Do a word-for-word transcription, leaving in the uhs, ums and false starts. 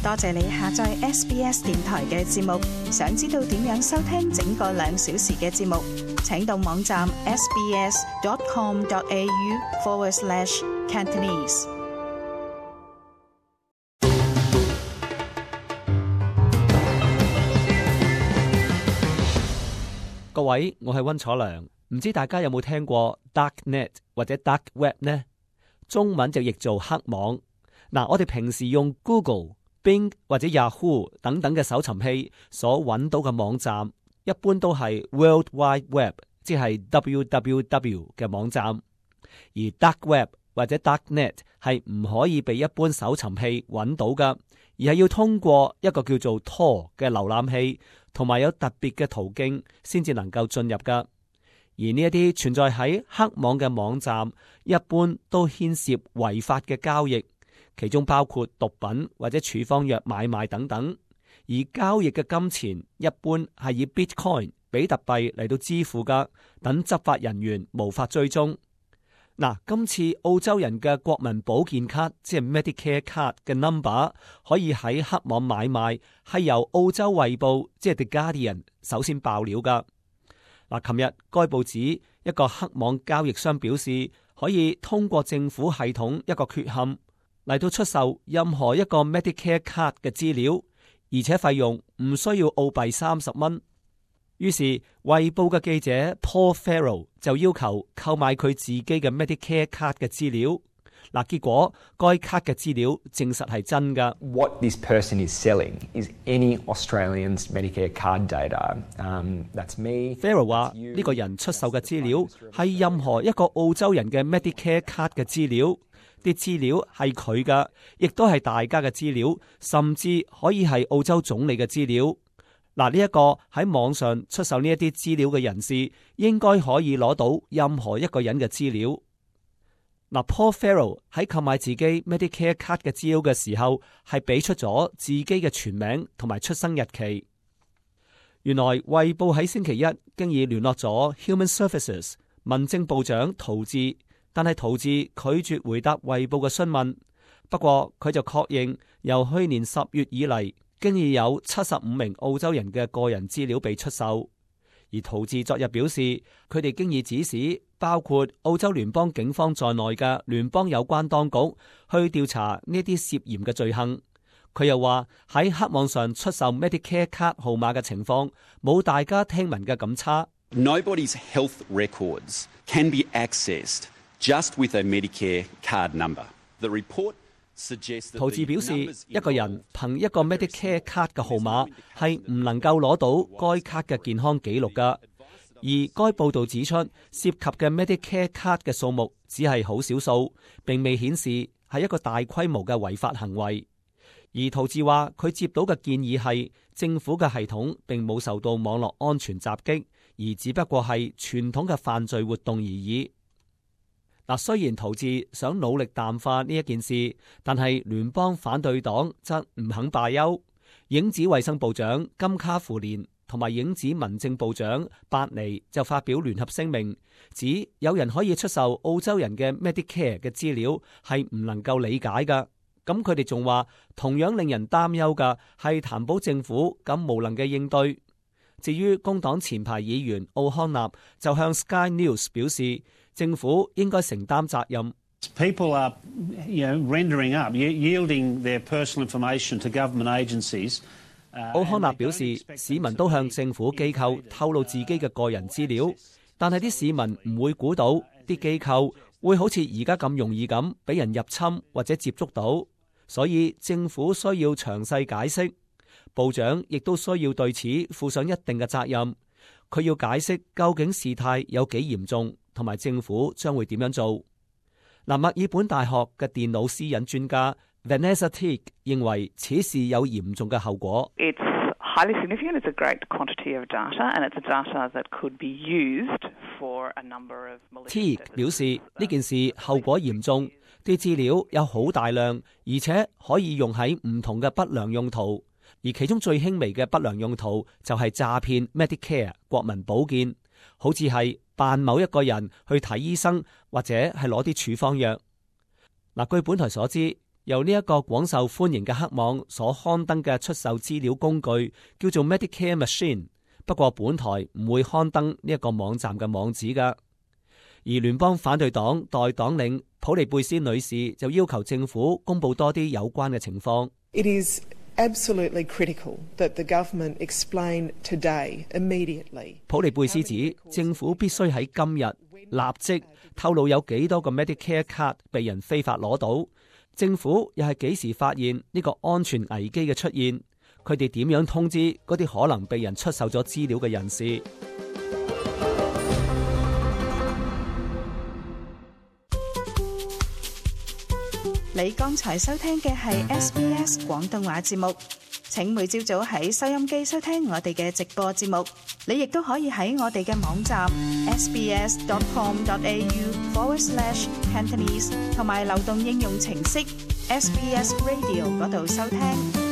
多謝你下載 S B S 電台嘅節目。想知道點樣收聽整個兩小時嘅節目，請到網站 sbs.com.au forward slash Cantonese。各位，我係溫楚良。唔知大家有冇聽過 Darknet 或者 Dark Web 呢？中文就譯做黑網。嗱，我哋平時用 Google、Bing 或者 Yahoo 等等嘅搜尋器所揾到嘅網站，一般都係 World Wide Web， 即係 W W W 嘅網站。而 Dark Web 或者 Darknet 係唔可以被一般搜尋器揾到噶，而係要通過一個叫做 Tor 嘅瀏覽器，同埋有特別嘅途徑先至能夠進入噶。而呢一啲存在喺黑網嘅網站，一般都牽涉違法嘅交易，其中包括毒品或者處方藥買賣等等。而交易嘅金錢一般係以 Bitcoin 比特幣嚟到支付噶，等執法人員無法追蹤。嗱，今次澳洲人嘅國民保健卡，即係 Medicare Card 嘅 number 可以喺黑網買賣，係由澳洲衛報即係 The Guardian 首先爆料噶。嗱，琴日該報紙一個黑網交易商表示，可以通過政府系統一個缺陷嚟到出售任何一個 Medicare Card 嘅資料，而且費用唔需要澳幣三十蚊。於是衛報嘅記者 Paul Farrell 就要求購買佢自己嘅 Medicare Card 嘅資料。嗱，結果該卡嘅資料證實係真㗎。What this person is selling is any Australian's Medicare card data. Um, that's me. Farrell 話呢個人出售嘅資料係任何一個澳洲人嘅 Medicare Card 嘅資料，啲資料係佢㗎，亦都係大家嘅資料，甚至可以係澳洲總理嘅資料。嗱，呢一個喺網上出售呢一啲資料嘅人士，應該可以攞到任何一個人嘅資料。嗱，Paul Farrell 喺購買自己 Medicare Card 嘅資料嘅時候，係俾出咗自己嘅全名同埋出生日期。原來衛報喺星期一經已聯絡咗 Human Services 民政部長陶治，但係陶治拒絕回答衛報嘅詢問。不過佢就確認，由去年十月以嚟，經已有七十五名澳洲人嘅個人資料被出售。而陶治昨日表示，佢哋經已指使包括澳洲聯邦警方在內嘅聯邦有關當局去調查呢啲涉嫌嘅罪行。佢又話喺黑網上出售 Medicare 卡號碼嘅情況冇大家聽聞嘅咁差。Nobody's health records can be accessed just with a Medicare card number. The report陶治表示，一個人憑一個 Medicare 卡嘅號碼係唔能夠攞到該卡嘅健康記錄噶。而該報道指出，涉及嘅 Medicare 卡嘅數目只係好少數，並未顯示係一個大規模嘅違法行為。而陶治話，佢接到嘅建議係政府嘅系統並冇受到網絡安全襲擊，而只不過係傳統嘅犯罪活動而已。嗱，雖然陶治想努力淡化呢一件事，但係聯邦反對黨則唔肯罷休。影子衛生部長金卡芙蓮同埋影子民政部長伯尼就發表聯合聲明，指有人可以出售澳洲人嘅 Medicare 嘅資料係唔能夠理解噶。咁佢哋仲話，同樣令人擔憂嘅係談保政府咁無能嘅應對。至於工黨前排議員奧康納就向 Sky News 表示，政府應該承擔責任。People are, you know, rendering up, yielding their personal information to government agencies. 奧康納表示，市民都向政府機構透露自己嘅個人資料，但係啲市民唔會估到啲機構會好似而家咁容易咁俾人入侵或者接觸到，所以政府需要詳細解釋。部長亦都需要對此負上一定嘅責任。佢要解釋究竟事態有幾嚴重，同埋政府將會點樣做。嗱，墨爾本大學嘅電腦私隱專家 Vanessa Teague 認為此事有嚴重嘅後果。It's highly significant. It's a great quantity of data, and it's a data that could be used for a number of malicious. Teague 表示呢件事後果嚴重，啲資料有好大量，而且可以用喺唔同嘅不良用途。而其中最輕微嘅不良用途就係詐騙 Medicare 國民保健，好似係扮某一個人去睇醫生，或者係攞啲處方藥。嗱，據本台所知，由呢一個廣受歡迎嘅黑網所刊登嘅出售資料工具叫做 Medicare Machine， 不過本台唔會刊登呢一個網站嘅網址㗎。而聯邦反對黨代黨領普利貝斯女士就要求政府公布多啲有關嘅情況。It is absolutely critical that the government explain today, immediately. 普利貝斯指政府必須喺今日立即透露有幾多個 Medicare card 被人非法攞到，政府又係幾時發現呢個安全危機嘅出現，佢哋點樣通知嗰啲可能被人出售咗資料嘅人士。你剛才收聽嘅係 S B S 廣東話節目，請每朝早喺收音機收聽我哋嘅直播節目。你亦都可以喺我哋嘅網站 sbs.com.au forward slash Cantonese 同埋流動應用程式 S B S Radio 嗰度收聽。